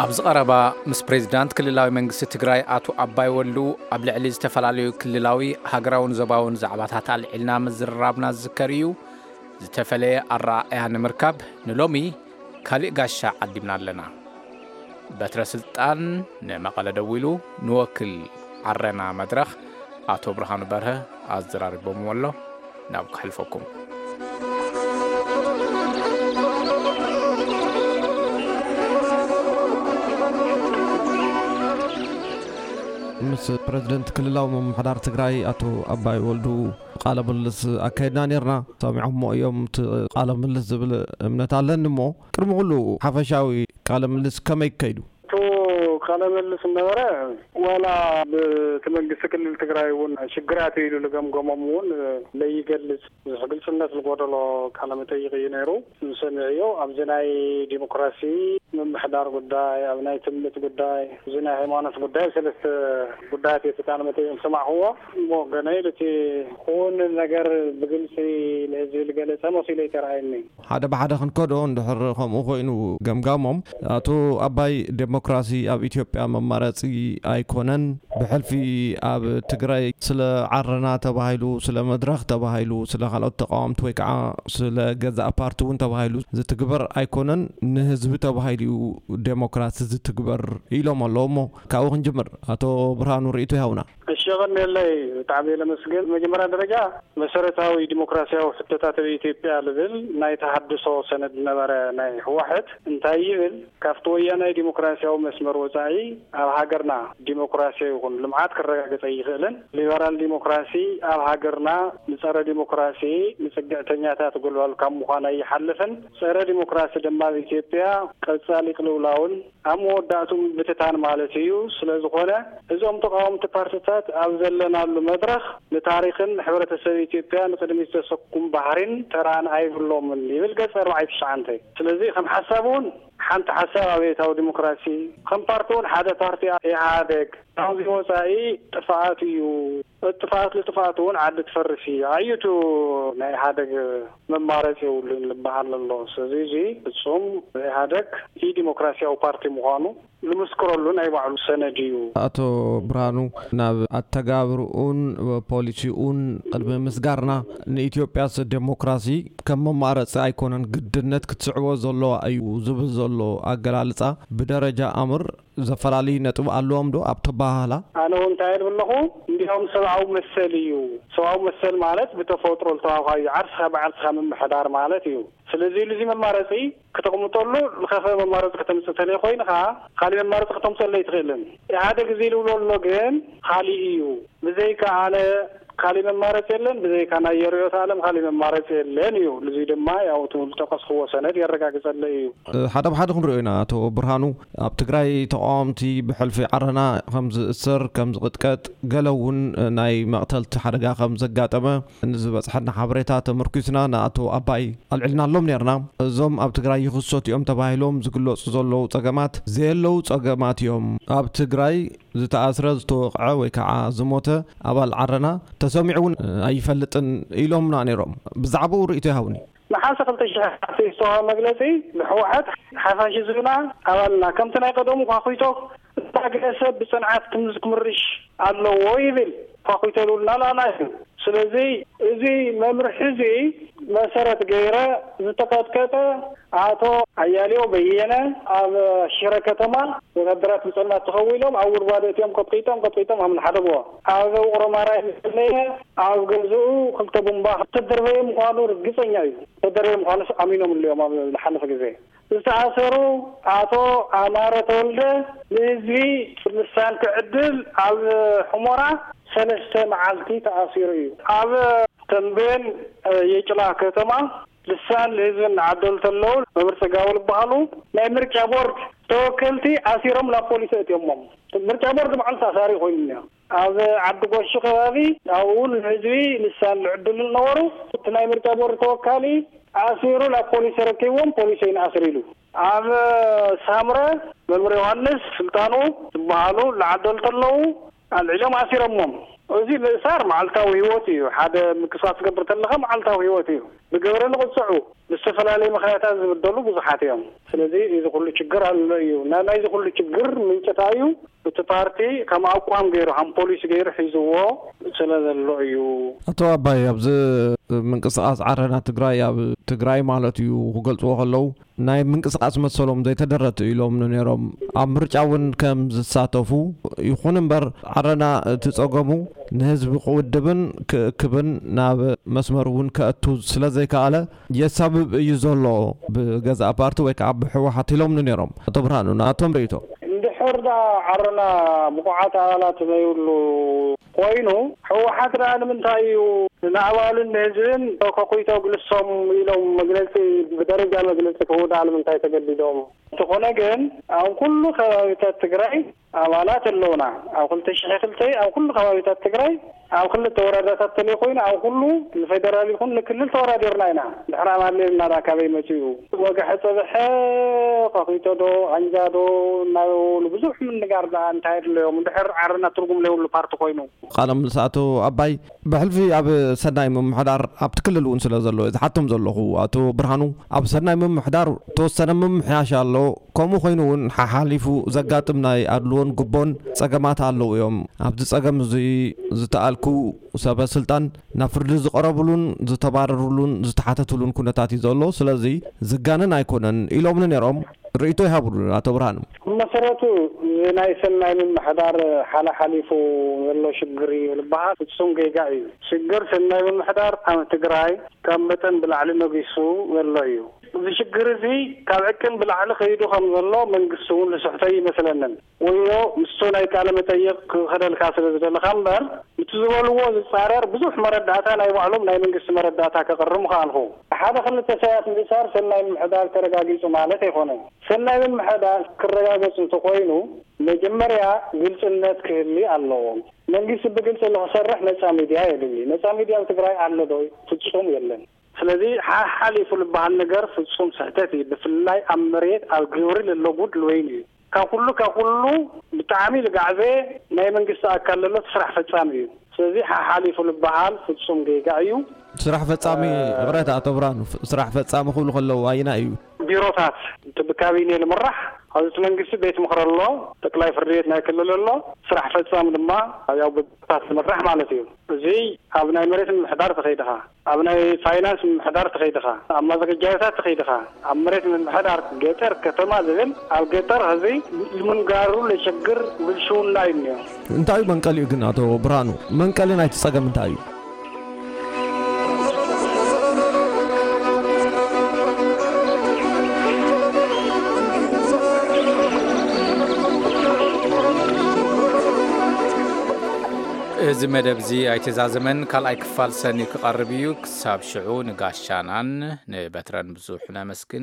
ኣብዚ ቀረባ ምስ ፕሬዚዳንት ክልላዊ መንግስቲ ትግራይ ኣቶ ኣባይ ወልዱ ኣብ ልዕሊ ዝተፈላለዩ ክልላዊ፣ ሃገራውን ዞባውን ዛዕባታት ኣልዒልና ምዝርራብና ዝዝከር እዩ። ዝተፈለየ ኣረኣእያ ንምርካብ ንሎሚ ካሊእ ጋሻ ዓዲምና ኣለና። በትረ ስልጣን ንመቐለ ደዊሉ ንወክል ዓረና መድረኽ ኣቶ ብርሃኑ በርሀ ኣዘራሪቦምዎ ኣሎ። ናብ ከሕልፈኩም። ምስ ፕረዚደንት ክልላዊ ምምሕዳር ትግራይ ኣቶ ኣባይ ወልዱ ቃለ ምልልስ ኣካይድና ነርና። ሰሚዖሞ እዮም እቲ ቃለ ምልልስ ዝብል እምነት ኣለኒ። እሞ ቅድሚ ኩሉ ሓፈሻዊ ቃለ ምልልስ ከመይ ከይዱ? እቲ ቃለ ምልልስ ነበረ፣ ዋላ ብቲ መንግስቲ ክልል ትግራይ እውን ሽግራት እዩ ኢሉ ዝገምገሞም እውን ለይገልጽ፣ ብዙሕ ግልጽነት ዝጎደሎ ቃለ መጠይቅ እዩ ነይሩ። ንሰሚዐዮ ኣብዚ ናይ ዲሞክራሲ ምምሕዳር ጉዳይ፣ ኣብ ናይ ትምኒት ጉዳይ፣ እዚ ናይ ሃይማኖት ጉዳይ፣ ሰለስተ ጉዳያት እዩ እቲ ቃለ መጠይቅ ዝሰማዕክዎ። እሞ ገናይ እቲ ክውን ነገር ብግልጺ ንህዝቢ ዝገለጸ መሲሉ ኣይተረኣየኒ። ሓደ ብሓደ ክንከዶ እንድሕር ከምኡ ኮይኑ ገምጋሞም፣ ኣቶ ኣባይ፣ ዴሞክራሲ ኣብ ኢትዮጵያ መማረፂ ኣይኮነን። ብሕልፊ ኣብ ትግራይ ስለ ዓረና ተባሂሉ፣ ስለ መድረኽ ተባሂሉ፣ ስለ ካልኦት ተቃወምቲ ወይ ከዓ ስለ ገዛእ ፓርቲ እውን ተባሂሉ ዝትግበር ኣይኮነን። ንህዝቢ ተባሂሉ እዩ ዴሞክራሲ ዝትግበር ኢሎም ኣለዉ። እሞ ካብኡ ክንጅምር፣ ኣቶ ብርሃኑ ርእይቶ ይሃቡና። እሺ፣ የቐንየለይ፣ ብጣዕሚ ለመስግን። መጀመርያ ደረጃ መሰረታዊ ዲሞክራሲያዊ ሕቶታት ኣብ ኢትዮጵያ ልብል ናይ ተሃድሶ ሰነድ ነበረ ናይ ህወሓት። እንታይ ይብል? ካብቲ ወያናይ ዲሞክራሲያዊ መስመር ወጻኢ ኣብ ሃገርና ዲሞክራሲ ይኹን ልምዓት ክረጋገጽ ኣይኽእልን። ሊበራል ዲሞክራሲ ኣብ ሃገርና ንጸረ ዲሞክራሲ፣ ንጽግዕተኛታት ጎልባል ካብ ምዃን ኣይሓልፍን። ጸረ ዲሞክራሲ ድማ ኣብ ኢትዮጵያ ቀጻሊ ቅልውላውን ኣብ መወዳእቱ ምብትታን ማለት እዩ። ስለ ዝኾነ እዞም ተቃወምቲ ፓርትታት ኣብ ዘለናሉ መድረኽ ንታሪኽን ንሕብረተሰብ ኢትዮጵያ ንቅድሚት ዘሰኩም ባህሪን ተራን ኣይብሎምን ይብል ገጽ ኣርባዕተ ትሽዓተ። ስለዚ ከም ሓሳብ እውን ሓንቲ ሓሳብ ኣብዮታዊ ዲሞክራሲ፣ ከም ፓርቲ እውን ሓደ ፓርቲ ኢህኣደግ ካብዚ ወፃኢ ጥፍኣት እዩ። ጥፍኣት ልጥፍኣት እውን ዓዲ ትፈርስ እዩ። ኣዩቱ ናይ ኢህኣደግ መማረፂ የብሉን ዝበሃል ዘሎ። ስለዚ እዚ ፍፁም ኢህኣደግ ኢ ዲሞክራሲያዊ ፓርቲ ምዃኑ ልምስክረሉ ናይ ባዕሉ ሰነድ እዩ። ኣቶ ብርሃኑ፣ ናብ ኣተጋብርኡን ፖሊሲኡን ቅድሚ ምስጋርና፣ ንኢትዮጵያስ ዴሞክራሲ ከም መማረፂ ኣይኮነን ግድነት ክትስዕቦ ዘለዋ እዩ ዝብል ዘሎ ኣገላልፃ ብደረጃ ኣምር ዘፈላለዩ ነጥቢ ኣለዎም ዶ ኣብ ተበሃህላ? ኣነ እውን እንታይ እብል ኣለኹ፣ እንዲያውም ሰብኣዊ መሰል እዩ። ሰብኣዊ መሰል ማለት ብተፈጥሮ ዝተዋሃብካዮ ዓርስኻ ብዓርስኻ ምምሕዳር ማለት እዩ። ስለዚ ኢሉ እዚ መማረፂ ክተቕምጠሉ ዝኸፈ መማረፂ ከተምፅእ ተለይ ኮይንኻ፣ ካሊእ መማረፂ ከተምፅእ ኣይትኽእልን። ኢህኣደግ እዚ ዝብሎ ኣሎ ግን ካሊእ እዩ። ብዘይካ ኣነ ካሊእ መማረፂ የለን፣ ብዘይካ ናይ ርእዮተ ዓለም ካሊእ መማረፂ የለን እዩ። እዚ ድማ ያው እቲ ዝጠቀስክዎ ሰነድ የረጋግፀለይ እዩ። ሓደ ብሓደ ክንሪኦ ኢና። ኣቶ ብርሃኑ፣ ኣብ ትግራይ ተቃወምቲ ብሕልፊ ዓረና ከም ዝእሰር፣ ከም ዝቕጥቀጥ፣ ገለ እውን ናይ መቕተልቲ ሓደጋ ከም ዘጋጠመ ንዝበፅሐና ሓበሬታ ተመርኪስና ንኣቶ ኣባይ ኣልዒልናሎም ነርና። እዞም ኣብ ትግራይ ይኽሰቱ እዮም ተባሂሎም ዝግለፁ ዘለዉ ፀገማት ዘየለዉ ፀገማት እዮም። ኣብ ትግራይ ዝተኣስረ፣ ዝተወቕዐ ወይ ከዓ ዝሞተ ኣባል ዓረና ተሰሚዑ እውን ኣይፈልጥን ኢሎምና ነይሮም። ብዛዕባኡ ርእይቶ ይሃቡኒ። ነሓሰ ክልተ ሽሕ ዝተዋሃበ መግለፂ ብህወሓት ሓፋሽ ህዝብና ኣባልና ከምቲ ናይ ቀደሙ ኳኹይቶ እንዳገሰ ብፅንዓት ክምዝ ክምርሽ ኣለዎ ይብል። ኳኹይቶ ልብልና ላላ እዩ። ስለዚ እዚ መምርሒ እዚ መሰረት ገይረ ዝተቀጥቀጠ ኣቶ ኣያሌው በየነ ኣብ ሽረ ከተማ ወታደራት ብፀልማት ተኸዊሎም ኣብ ጉድጓድ እትዮም ቀጥቂጦም ቀጥቂጦም ኣብ ንሓደግዎ ኣብ ውቕሮ ማራይ ዝፈለየ ኣብ ገዝኡ ክልተ ቡምባ ዝተደርበየ ምዃኑ ርግፀኛ እዩ። ዝተደርበየ ምዃኑስ ኣሚኖም ኣለዮም ኣብ ዝሓለፈ ግዜ። ዝተኣሰሩ ኣቶ ኣማረ ተወልደ ንህዝቢ ልሳን ክዕድል ኣብ ሑመራ ሰለስተ መዓልቲ ተኣሲሩ እዩ። ኣብ ተምቤን የጭላ ከተማ ልሳን ንህዝቢ እናዓደሉ ተለዉ መምህር ጽጋቡ ዝበሃሉ ናይ ምርጫ ቦርድ ተወከልቲ ኣሲሮም ናብ ፖሊስ ኣእትዮሞም። ምርጫ ቦርድ ባዕሉ ተኣሳሪ ኮይኑ እኒኦ። ኣብ ዓዲ ጎሹ ከባቢ ኣብኡ ንህዝቢ ልሳን ዝዕድሉ ዝነበሩ እቲ ናይ ምርጫ ቦርድ ተወካሊ ኣሲሩ ናብ ፖሊስ ተረኪብዎም ፖሊስ ኣይንኣስር ኢሉ። ኣብ ሳምረ መምህር ዮሃንስ ስልጣኑ ዝበሃሉ ዝዓደሉ ተለዉ ኣልዒሎም ኣሲሮሞም። እዚ ምእሳር መዓልታዊ ህይወት እዩ። ሓደ ምንቅስቃስ ትገብር ተለኻ መዓልታዊ ህይወት እዩ። ብግብሪ ንቕፅዑ፣ ብዝተፈላለዩ ምኽንያታት ዝብደሉ ብዙሓት እዮም። ስለዚ እዚ ኩሉ ችግር ኣሎ እዩ። ና- ናይዚ ኩሉ ችግር ምንጭታ እዩ። እቲ ፓርቲ ከም ኣቋም ገይሩ፣ ከም ፖሊሲ ገይሩ ሒዝዎ ስለ ዘሎ እዩ። ኣቶ ኣባይ፣ ኣብዚ ምንቅስቃስ ዓረና ትግራይ፣ ኣብ ትግራይ ማለት እዩ ክገልፅዎ ከለዉ፣ ናይ ምንቅስቃስ መሰሎም ዘይተደረቱ ኢሎም ነይሮም። ኣብ ምርጫ እውን ከም ዝሳተፉ፣ ይኹን እምበር ዓረና እቲ ጸገሙ ንህዝቢ ክውድብን ክእክብን ናብ መስመር እውን ከእቱ ስለ ዘይከኣለ የሳብብ እዩ ዘሎ ብገዛእ ፓርቲ ወይ ከዓ ብህወሓት ኢሎም ነይሮም። ኣቶ ብርሃኑ፣ ናቶም ርእይቶ። እንድሕር ዳ ዓረና ብቑዓት ኣባላት ዘይብሉ ኮይኑ፣ ህወሓት ደኣ ንምንታይ እዩ ንኣባሉን ንህዝብን ከኩይቶ ግልሶም ኢሎም መግለጺ፣ ብደረጃ መግለጺ ክህቡ ደኣ ንምንታይ ተገዲዶም? እንተኾነ ግን ኣብ ኩሉ ከባቢታት ትግራይ ኣባላት ኣለውና። ኣብ ክልተ ሽሕ ክልተ ኣብ ኩሉ ከባቢታት ትግራይ ኣብ ክልተ ወረዳታት ተለይ ኮይኑ ኣብ ኩሉ ንፌደራል ይኹን ንክልል ተወዳዲርና ኢና። ድሕሪ ኣማሌልና ደኣ ካበይ መጺኡ? ወግሐ ጸብሐ፣ ከኩይቶ ዶ፣ ኣንጃ ዶ እናበሉ ብዙሕ ምንጋር ደኣ እንታይ ኣድለዮም? እንድሕር ዓረና ትርጉም ዘይብሉ ፓርቲ ኮይኑ። ቃለ ምልልስ ኣቶ ኣባይ፣ ብሕልፊ ኣብ ሰናይ ምምሕዳር ኣብቲ ክልል እውን ስለ ዘሎ ዝሓቶም ዘለኹ፣ ኣቶ ብርሃኑ፣ ኣብ ሰናይ ምምሕዳር ተወሰነ ምምሕያሽ ኣሎ። ከምኡ ኮይኑ እውን ሓሓሊፉ ዘጋጥም ናይ ኣድልዎን ግቦን ጸገማት ኣለዉ እዮም። ኣብዚ ጸገም እዚ ዝተኣልኩ ሰበ ስልጣን ናብ ፍርዲ ዝቐረብሉን ዝተባረሩሉን ዝተሓተትሉን ኩነታት እዩ ዘሎ። ስለዚ ዝጋነን ኣይኮነን ኢሎምኒ ነይሮም። ርእይቶ ይሃብሉ ኣቶ ብርሃኑ። ብመሰረቱ እዚ ናይ ሰናይ ምምሕዳር ሓላሓሊፉ ዘሎ ሽግር እዩ ዝበሃል ፍጹም ጌጋ እዩ። ሽግር ሰናይ ምምሕዳር ኣብ ትግራይ ካብ መጠን ብላዕሊ ነጊሱ ዘሎ እዩ። እዚ ሽግር እዚ ካብ ዕቅን ብላዕሊ ከይዱ ከም ዘሎ መንግስቲ እውን ዝስሕቶ ይመስለንን። ወዮ ምስቶ ናይ ቃለ መጠይቅ ክኸደልካ ስለ ዝደለኻ እምበር፣ እቲ ዝበልዎ ዝጻረር ብዙሕ መረዳእታ ናይ ባዕሎም ናይ መንግስቲ መረዳእታ ከቕርብ ምኽኣልኹ። ሓደ ክልተ ሰባት ምእሳር ሰናይ ምምሕዳር ተረጋጊጹ ማለት ኣይኮነን። ሰናይ ምምሕዳር ክረጋገጽ እንተኾይኑ መጀመርያ ግልጽነት ክህሊ ኣለዎ። መንግስቲ ብግልጺ ንክሰርሕ ነጻ ሚድያ የድሊ። ነጻ ሚድያ ኣብ ትግራይ ኣሎ ዶ? ፍጹም የለን። ስለዚ ሓሓሊፉ ዝበሃል ነገር ፍጹም ስሕተት እዩ። ብፍላይ ኣብ መሬት ኣብ ግብሪ ለሎ ጉድ ልወይን እዩ። ካብ ኩሉ ካብ ኩሉ ብጣዕሚ ልጋዕዘ ናይ መንግስቲ ኣካል ለሎ እቲ ስራሕ ፈጻሚ እዩ። ስለዚ ሓሓሊፉ ዝበሃል ፍጹም ጌጋ እዩ። ስራሕ ፈጻሚ፣ ይቕረታ ኣቶ ብርሃኑ፣ ስራሕ ፈጻሚ ክብሉ ከለዉ ኣየናይ እዩ? ቢሮታት፣ እቲ ብካቢኔ ልምራሕ፣ ኣብዚ እቲ መንግስቲ ቤት ምኽሪ ኣሎ፣ ጠቅላይ ፍርዲ ቤት ናይ ክልል ኣሎ፣ ስራሕ ፈጻሚ ድማ ያው ብቢሮታት ልምራሕ ማለት እዩ። እዚ ኣብ ናይ መሬት ምምሕዳር ተኸይድኻ፣ ኣብ ናይ ፋይናንስ ምምሕዳር ተኸይድኻ፣ ኣብ ማዘጋጃታት ተኸይድኻ፣ ኣብ መሬት ምምሕዳር ገጠር ከተማ ዝብል ኣብ ገጠር ህዝቢ ምንጋሩ ለሸግር ብልሽውና እዩ እኒኦ። እንታይ እዩ መንቀሊኡ ግን ኣቶ ብርሃኑ? መንቀሊ ናይቲ ጸገም እንታይ እዩ? እዚ መደብ እዚ ኣይተዛዘመን፣ ካልኣይ ክፋል ሰኒ ክቐርብ እዩ። ክሳብ ሽዑ ንጋሻናን ንበትረን ብዙሕ ነመስግን።